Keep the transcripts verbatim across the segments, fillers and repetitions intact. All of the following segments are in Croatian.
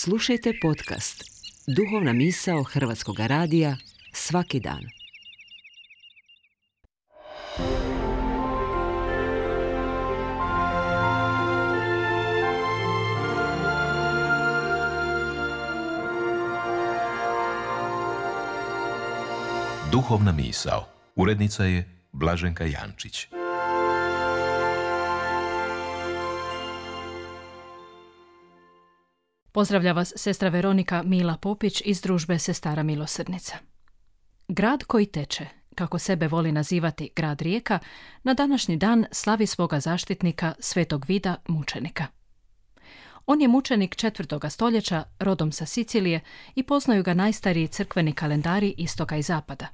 Slušajte podcast Duhovna misao Hrvatskog radija svaki dan. Duhovna misao. Urednica je Blaženka Jančić. Pozdravlja vas sestra Veronika Mila Popić iz družbe Sestara Milosrdnica. Grad koji teče, kako sebe voli nazivati grad Rijeka, na današnji dan slavi svoga zaštitnika Svetog Vida mučenika. On je mučenik četvrtoga stoljeća, rodom sa Sicilije i poznaju ga najstariji crkveni kalendari istoka i zapada.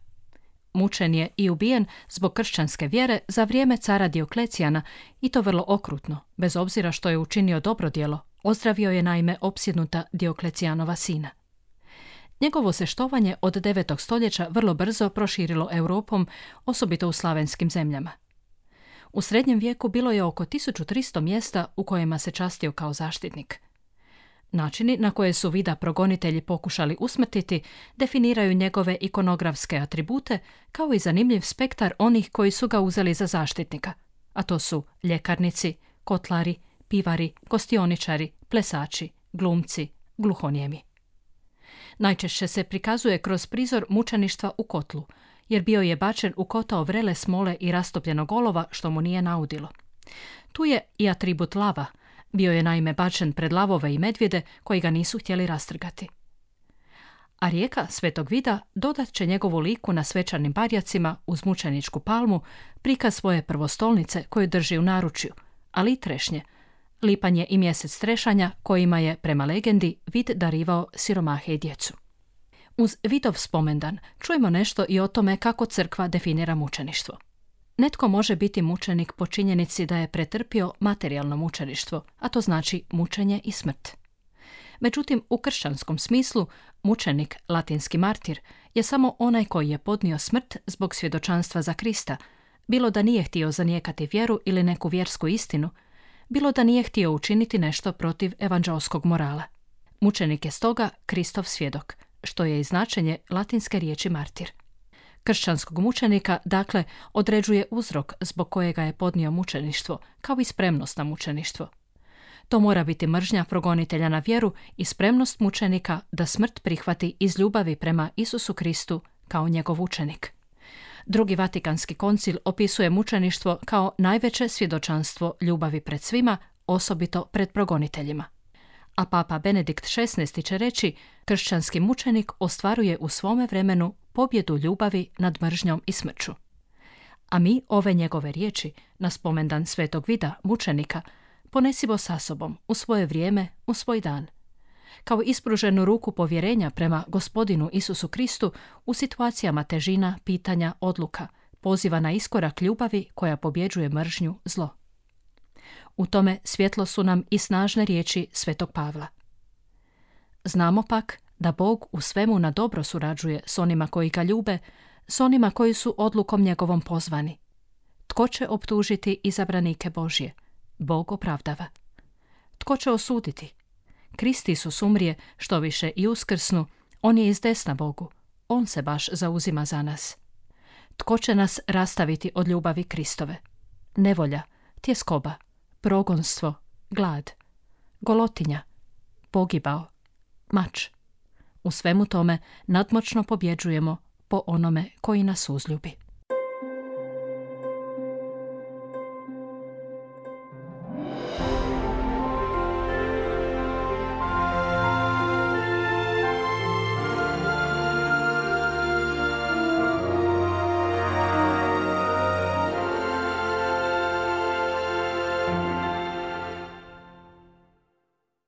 Mučen je i ubijen zbog kršćanske vjere za vrijeme cara Dioklecijana i to vrlo okrutno, bez obzira što je učinio dobro djelo. Ozdravio je naime opsjednuta Dioklecijanova sina. Njegovo se štovanje od devetog stoljeća vrlo brzo proširilo Europom, osobito u slavenskim zemljama. U srednjem vijeku bilo je oko tisuću tristo mjesta u kojima se častio kao zaštitnik. Načini na koje su Vida progonitelji pokušali usmrtiti definiraju njegove ikonografske atribute kao i zanimljiv spektar onih koji su ga uzeli za zaštitnika, a to su ljekarnici, kotlari, pivari, gostioničari, plesači, glumci, gluhonijemi. Najčešće se prikazuje kroz prizor mučeništva u kotlu, jer bio je bačen u kotao vrele smole i rastopljenog olova što mu nije naudilo. Tu je i atribut lava, bio je naime bačen pred lavove i medvjede koji ga nisu htjeli rastrgati. A rijeka Svetog Vida dodat će njegovu liku na svečanim barjacima uz mučeničku palmu prikaz svoje prvostolnice koju drži u naručju, ali i trešnje. Lipanj je i mjesec trešanja kojima je, prema legendi, Vid darivao siromahe i djecu. Uz Vidov spomendan čujemo nešto i o tome kako crkva definira mučeništvo. Netko može biti mučenik po činjenici da je pretrpio materijalno mučeništvo, a to znači mučenje i smrt. Međutim, u kršćanskom smislu, mučenik, latinski martir, je samo onaj koji je podnio smrt zbog svjedočanstva za Krista, bilo da nije htio zanijekati vjeru ili neku vjersku istinu, bilo da nije htio učiniti nešto protiv evanđeoskog morala. Mučenik je stoga Kristov svjedok, što je i značenje latinske riječi martir. Kršćanskog mučenika, dakle, određuje uzrok zbog kojega je podnio mučeništvo, kao i spremnost na mučeništvo. To mora biti mržnja progonitelja na vjeru i spremnost mučenika da smrt prihvati iz ljubavi prema Isusu Kristu kao njegov učenik. Drugi Vatikanski koncil opisuje mučeništvo kao najveće svjedočanstvo ljubavi pred svima, osobito pred progoniteljima. A papa Benedikt šesnaesti će reći, kršćanski mučenik ostvaruje u svome vremenu pobjedu ljubavi nad mržnjom i smrću. A mi ove njegove riječi, na spomendan Svetog Vida, mučenika, ponesimo sa sobom u svoje vrijeme, u svoj dan. Kao ispruženu ruku povjerenja prema Gospodinu Isusu Kristu u situacijama težina, pitanja, odluka, poziva na iskorak ljubavi koja pobjeđuje mržnju, zlo. U tome svjetlo su nam i snažne riječi Svetog Pavla. Znamo pak da Bog u svemu na dobro surađuje s onima koji ga ljube, s onima koji su odlukom njegovom pozvani. Tko će optužiti izabranike Božje? Bog opravdava. Tko će osuditi? Krist Isus umrije, što više i uskrsnu, on je iz desna Bogu, on se baš zauzima za nas. Tko će nas rastaviti od ljubavi Kristove? Nevolja, tjeskoba, progonstvo, glad, golotinja, pogibao, mač. U svemu tome nadmoćno pobjeđujemo po onome koji nas uzljubi.